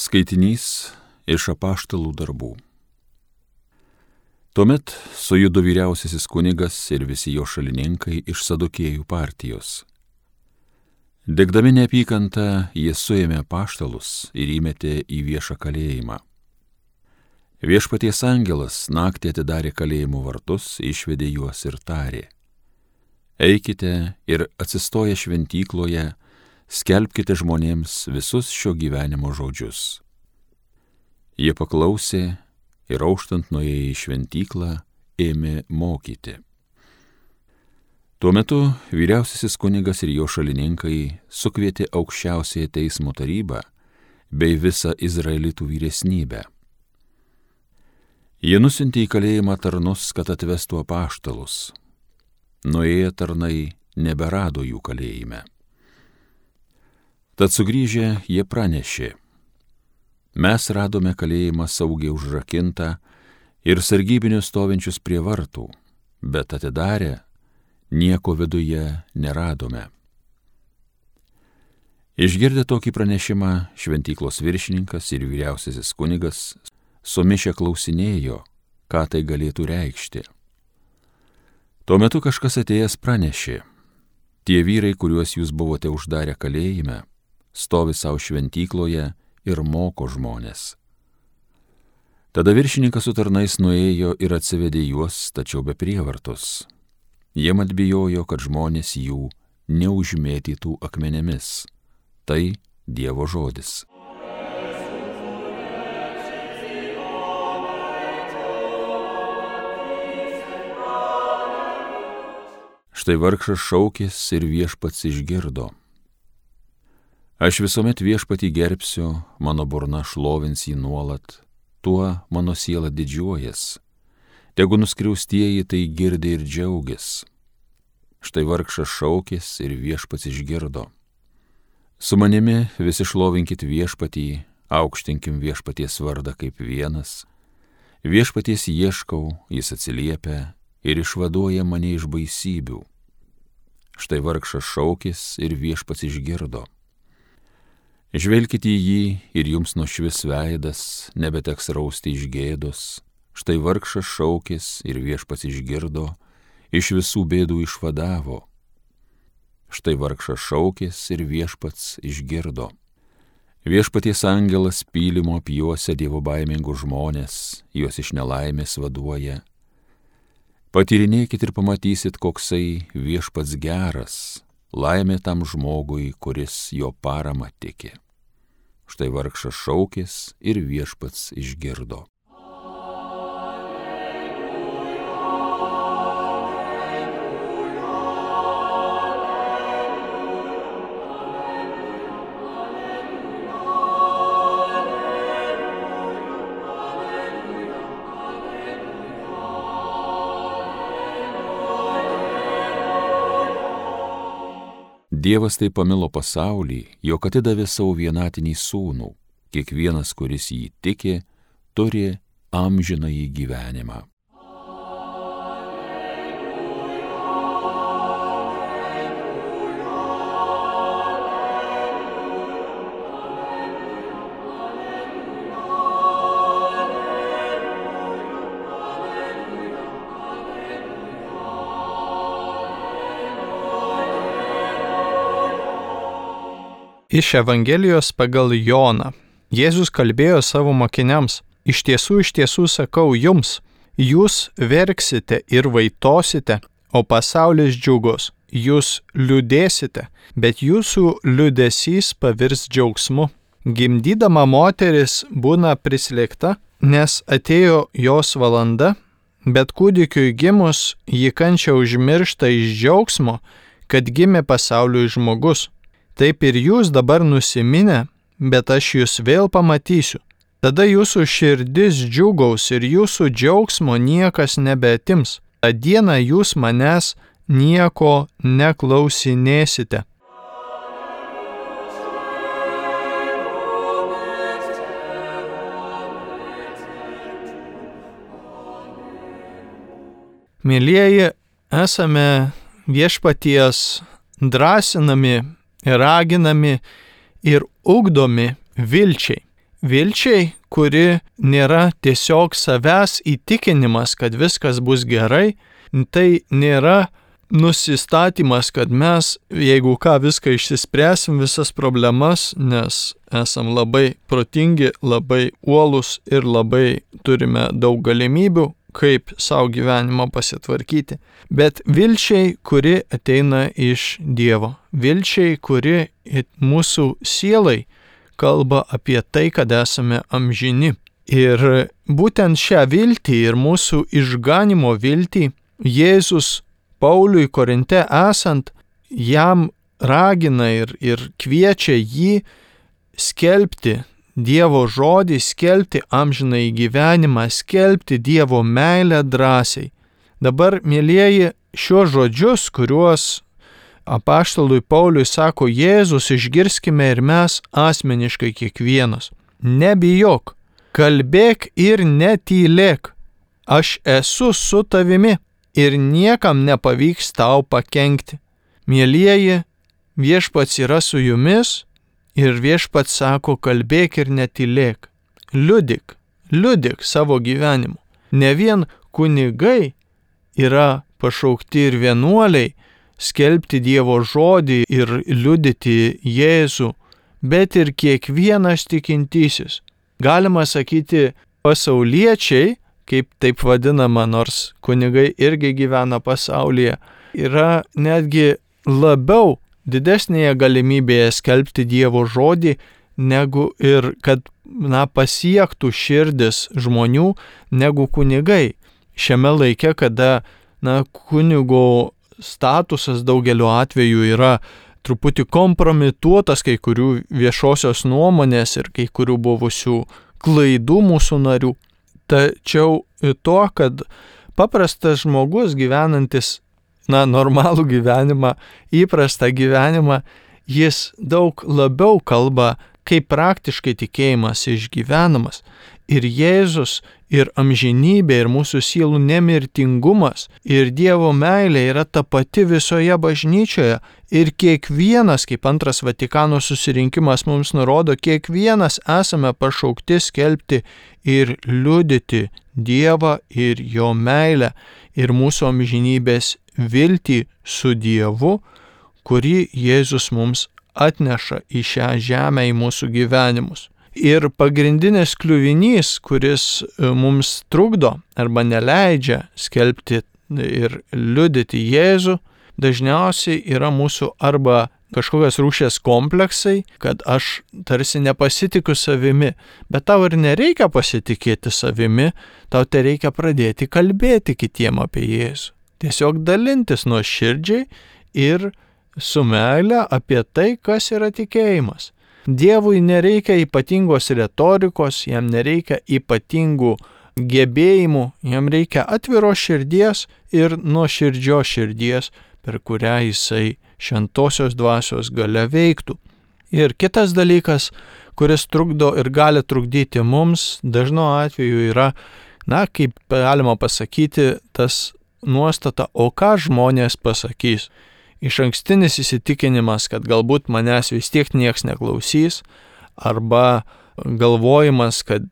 Skaitinys iš Apaštalų darbų. Tuomet sujudo vyriausiasis kunigas ir visi jo šalininkai iš Sadukėjų partijos. Degdami neapykantą, jie suėmė apaštalus ir įmetė į viešą kalėjimą. Viešpaties angelas naktį atidarė kalėjimo vartus, išvedė juos ir tarė: Eikite ir atsistoję šventykloje, skelbkite žmonėms visus šio gyvenimo žodžius. Jie paklausė ir auštant nuėję į šventyklą ėmė mokyti. Tuo metu vyriausiasis kunigas ir jo šalininkai sukvietė aukščiausiąją teismo tarybą bei visą izraelitų vyresnybę. Jie nusiuntė į kalėjimą tarnus, kad atvestų apaštalus. Nuėję tarnai neberado jų kalėjime. Tad sugrįžę jie pranešė: Mes radome kalėjimą saugiai užrakintą ir sargybinius stovinčius prie vartų, bet atidarę nieko viduje neradome. Išgirdę tokį pranešimą, šventyklos viršininkas ir vyriausiasis kunigas sumišę klausinėjo, ką tai galėtų reikšti. Tuo metu kažkas atėjęs pranešė: Tie vyrai, kuriuos jūs buvote uždarę kalėjime, stovi savo šventykloje ir moko žmonės. Tada viršininkas su tarnais nuėjo ir atsivedė juos, tačiau be prievartos. Jie mat bijojo, kad žmonės jų neužmėtytų akmenėmis. Tai Dievo žodis. Štai vargšas šaukės ir viešpats išgirdo. Aš visuomet viešpatį gerbsiu, mano burna šlovins jį nuolat, tuo mano siela didžiuojas. Tegu nuskriaustieji tai girdi ir džiaugis. Štai vargšas šaukės ir viešpats išgirdo. Su manimi visi šlovinkit viešpatį, aukštinkim viešpaties vardą kaip vienas. Viešpaties ieškau, jis atsiliepia ir išvaduoja mane iš baisybių. Štai vargšas šaukės ir viešpats išgirdo. Žvelkite į jį ir jums nušvis veidas, nebeteks rausti iš gėdos. Štai vargšas šaukės ir viešpats išgirdo, iš visų bėdų išvadavo. Štai vargšas šaukės ir viešpats išgirdo. Viešpaties angelas pylimo apjuosia dievobaimingus žmonės, juos iš nelaimės vaduoja. Patyrinėkit ir pamatysit, koksai viešpats geras, laimė tam žmogui, kuris jo paramą tiki. Štai vargšas šaukės ir viešpats išgirdo. Dievas taip pamilo pasaulį, jog atidavė savo vienatinį sūnų. Kiekvienas, kuris jį tiki, turi amžinąjį gyvenimą. Iš Evangelijos pagal Joną. Jėzus kalbėjo savo mokiniams: iš tiesų sakau jums, jūs verksite ir vaitosite, o pasaulis džiugos. Jūs liūdėsite, bet jūsų liūdesys pavirs džiaugsmu. Gimdydama moteris būna prislėgta, nes atėjo jos valanda, bet kūdikiui gimus ji kančią užmiršta iš džiaugsmo, kad gimė pasauliui žmogus. Taip ir jūs dabar nusiminę, bet aš jūs vėl pamatysiu. Tada jūsų širdis džiugaus ir jūsų džiaugsmo niekas nebeatims. Ta diena jūs manęs nieko neklausinėsite. Mielieji, esame viešpaties drąsinami, raginami ir ugdomi vilčiai. vilčiai, kuri nėra tiesiog savęs įtikinimas, kad viskas bus gerai, tai nėra nusistatymas, kad mes, jeigu ką, viską išsispręsim, visas problemas, nes esam labai protingi, labai uolūs ir labai turime daug galimybių, kaip savo gyvenimą pasitvarkyti. Bet vilčiai, kuri ateina iš Dievo. Vilčiai, kuri mūsų sielai kalba apie tai, kad esame amžini. Ir būtent šią viltį ir mūsų išganimo viltį Jėzus Pauliui Korinte esant, jam ragina ir kviečia jį skelbti Dievo žodį, skelbti amžinąjį gyvenimą, skelbti Dievo meilę drąsiai. Dabar, mielieji, šiuos žodžius, kuriuos apaštalui Pauliui sako Jėzus, išgirskime ir mes asmeniškai kiekvienas. Nebijok, kalbėk ir netylėk. Aš esu su tavimi ir niekam nepavyks tau pakenkti. Mielieji, viešpats yra su jumis ir viešpats sako, kalbėk ir netylėk. Liudyk savo gyvenimu. Ne vien kunigai yra pašaukti ir vienuoliai skelbti Dievo žodį ir liudyti Jėzų, bet ir kiekvienas tikintysis. Galima sakyti, pasauliečiai, kaip taip vadinama, nors kunigai irgi gyvena pasaulyje, yra netgi labiau didesnėje galimybėje skelbti Dievo žodį, negu ir kad pasiektų širdis žmonių, negu kunigai. Šiame laike, kada kunigo statusas daugeliu atveju yra truputį kompromituotas kai kurių viešosios nuomonės ir kai kurių buvusių klaidų mūsų narių. Tačiau to, kad paprastas žmogus gyvenantis normalų gyvenimą, įprastą gyvenimą, jis daug labiau kalba, kaip praktiškai tikėjimas išgyvenamas. Ir Jėzus, ir amžinybė, ir mūsų sielų nemirtingumas, ir Dievo meilė yra ta pati visoje bažnyčioje. Ir kiekvienas, kaip Antras Vatikano susirinkimas mums nurodo, kiekvienas esame pašaukti skelbti ir liudyti Dievą ir jo meilę ir mūsų amžinybės viltį su Dievu, kurį Jėzus mums atneša į šią žemę, į mūsų gyvenimus. Ir pagrindinis kliuvinys, kuris mums trukdo arba neleidžia skelbti ir liudyti Jėzų, dažniausiai yra mūsų arba kažkokios rūšies kompleksai, kad aš tarsi nepasitikiu savimi, bet tau ir nereikia pasitikėti savimi, tau tai reikia pradėti kalbėti kitiem apie Jėzų. Tiesiog dalintis nuoširdžiai ir su meile apie tai, kas yra tikėjimas. Dievui nereikia ypatingos retorikos, jam nereikia ypatingų gebėjimų, jam reikia atviros širdies ir nuoširdžios širdies, per kurią jisai šventosios dvasios galia veiktų. Ir kitas dalykas, kuris trukdo ir gali trukdyti mums, dažnu atveju yra, kaip galima pasakyti, tas nuostata, o ką žmonės pasakys. Išankstinis įsitikinimas, kad galbūt manęs vis tiek nieks neklausys, arba galvojimas, kad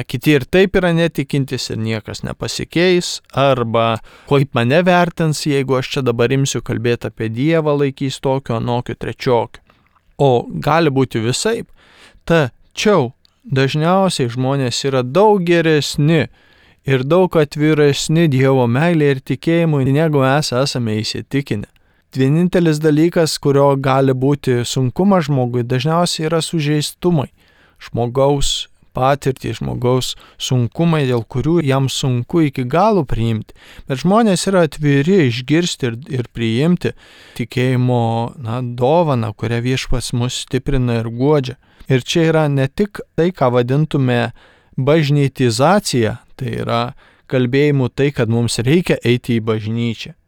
kiti ir taip yra netikintis ir niekas nepasikeis, arba kaip mane vertins, jeigu aš čia dabar imsiu kalbėti apie Dievą, laikys tokio, anokio, trečiokio. O gali būti visaip. Tačiau dažniausiai žmonės yra daug geresni ir daug atviresni Dievo meilė ir tikėjimui, negu mes esame įsitikinę. Vienintelis dalykas, kurio gali būti sunkumas žmogui, dažniausiai yra sužeistumai. Žmogaus patirtį, žmogaus sunkumai, dėl kurių jam sunku iki galo priimti. Bet žmonės yra atviri išgirsti ir priimti tikėjimo dovaną, kurią viešpats mus stiprina ir guodžia. Ir čia yra ne tik tai, ką vadintume bažnytizacija, tai yra kalbėjimu tai, kad mums reikia eiti į bažnyčią.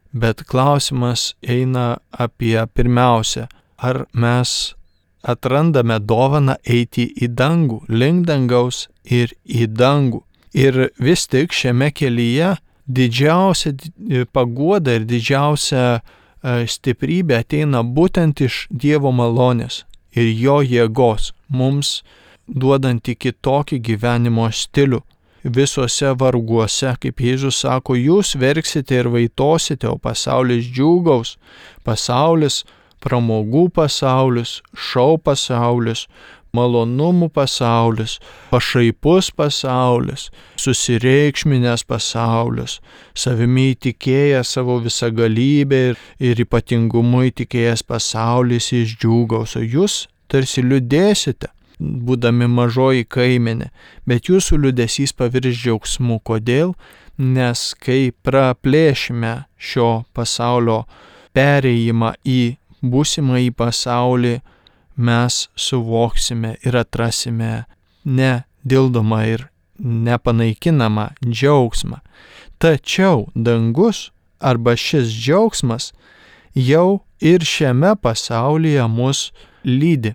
Bet klausimas eina apie pirmiausia, ar mes atrandame dovaną eiti į dangų, link dangaus ir į dangų. Ir vis tik šiame kelyje didžiausia paguoda ir didžiausia stiprybė ateina būtent iš Dievo malonės ir jo jėgos. Mums duodanti kitokį gyvenimo stilių. Visuose varguose, kaip Jėzus sako, jūs verksite ir vaitosite, o pasaulis džiūgaus. Pasaulis, pramogų pasaulis, šou pasaulis, malonumų pasaulis, pašaipus pasaulis, susireikšminęs pasaulis, savimi įtikėjęs savo visagalybę ir ypatingumu įtikėjęs pasaulis išdžiūgaus, o jūs tarsi liūdėsite, būdami mažoji kaimenė, bet jūsų liūdesys pavirs džiaugsmu. Kodėl? Nes kai praplėšime šio pasaulio perėjimą į būsimąjį pasaulį, mes suvoksime ir atrasime nedildomą ir nepanaikinamą džiaugsmą. Tačiau dangus arba šis džiaugsmas jau ir šiame pasaulyje mus lydi.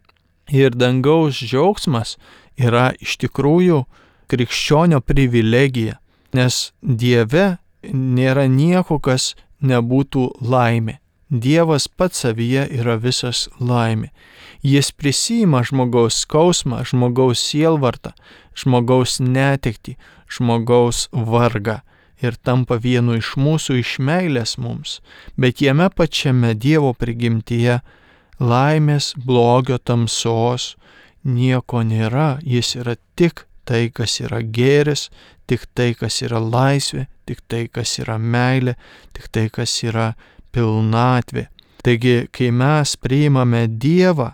Ir dangaus džiaugsmas yra iš tikrųjų krikščionio privilegija, nes Dieve nėra nieko, kas nebūtų laimė. Dievas pats savyje yra visas laimė. Jis prisiima žmogaus skausmą, žmogaus sielvartą, žmogaus netektį, žmogaus vargą ir tampa vienu iš mūsų iš meilės mums. Bet jame pačiame Dievo prigimtyje laimės, blogio, tamsos nieko nėra. Jis yra tik tai, kas yra gėris, tik tai, kas yra laisvė, tik tai, kas yra meilė, tik tai, kas yra pilnatvė. Taigi, kai mes priimame Dievą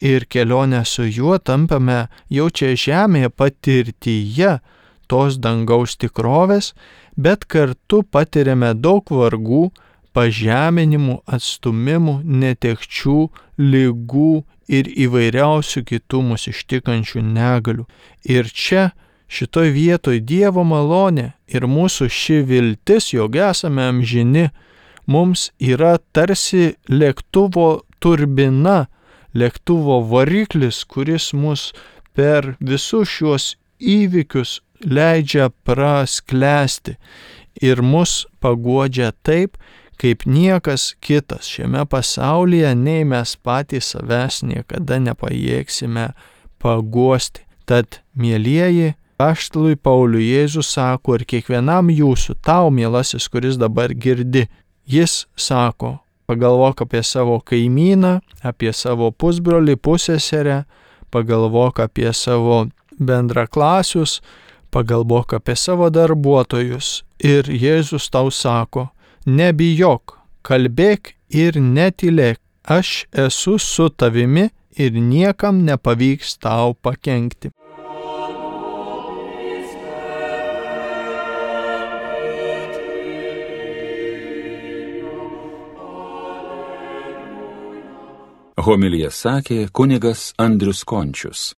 ir kelionę su juo tampame jau čia žemėje patirtyje tos dangaus tikrovės, bet kartu patiriame daug vargų, pažeminimų, atstumimų, netekčių, ligų ir įvairiausių kitų mus ištikančių negalių. Ir čia, šitoj vietoj Dievo malonė ir mūsų ši viltis, jog esame amžini, mums yra tarsi lėktuvo turbina, lėktuvo variklis, kuris mus per visus šiuos įvykius leidžia prasklęsti ir mus paguodžia taip, kaip niekas kitas šiame pasaulyje, nei mes patys savęs niekada nepajėgsime paguosti. Tad, mielieji, apaštalui Pauliui Jėzus sako ir kiekvienam jūsų, tau, mielasis, kuris dabar girdi, jis sako, pagalvok apie savo kaimyną, apie savo pusbrolį, pusseserę, pagalvok apie savo bendraklasius, pagalvok apie savo darbuotojus. Ir Jėzus tau sako, nebijok, kalbėk ir netylėk, aš esu su tavimi ir niekam nepavyks tau pakenkti. Homiliją sakė kunigas Andrius Končius.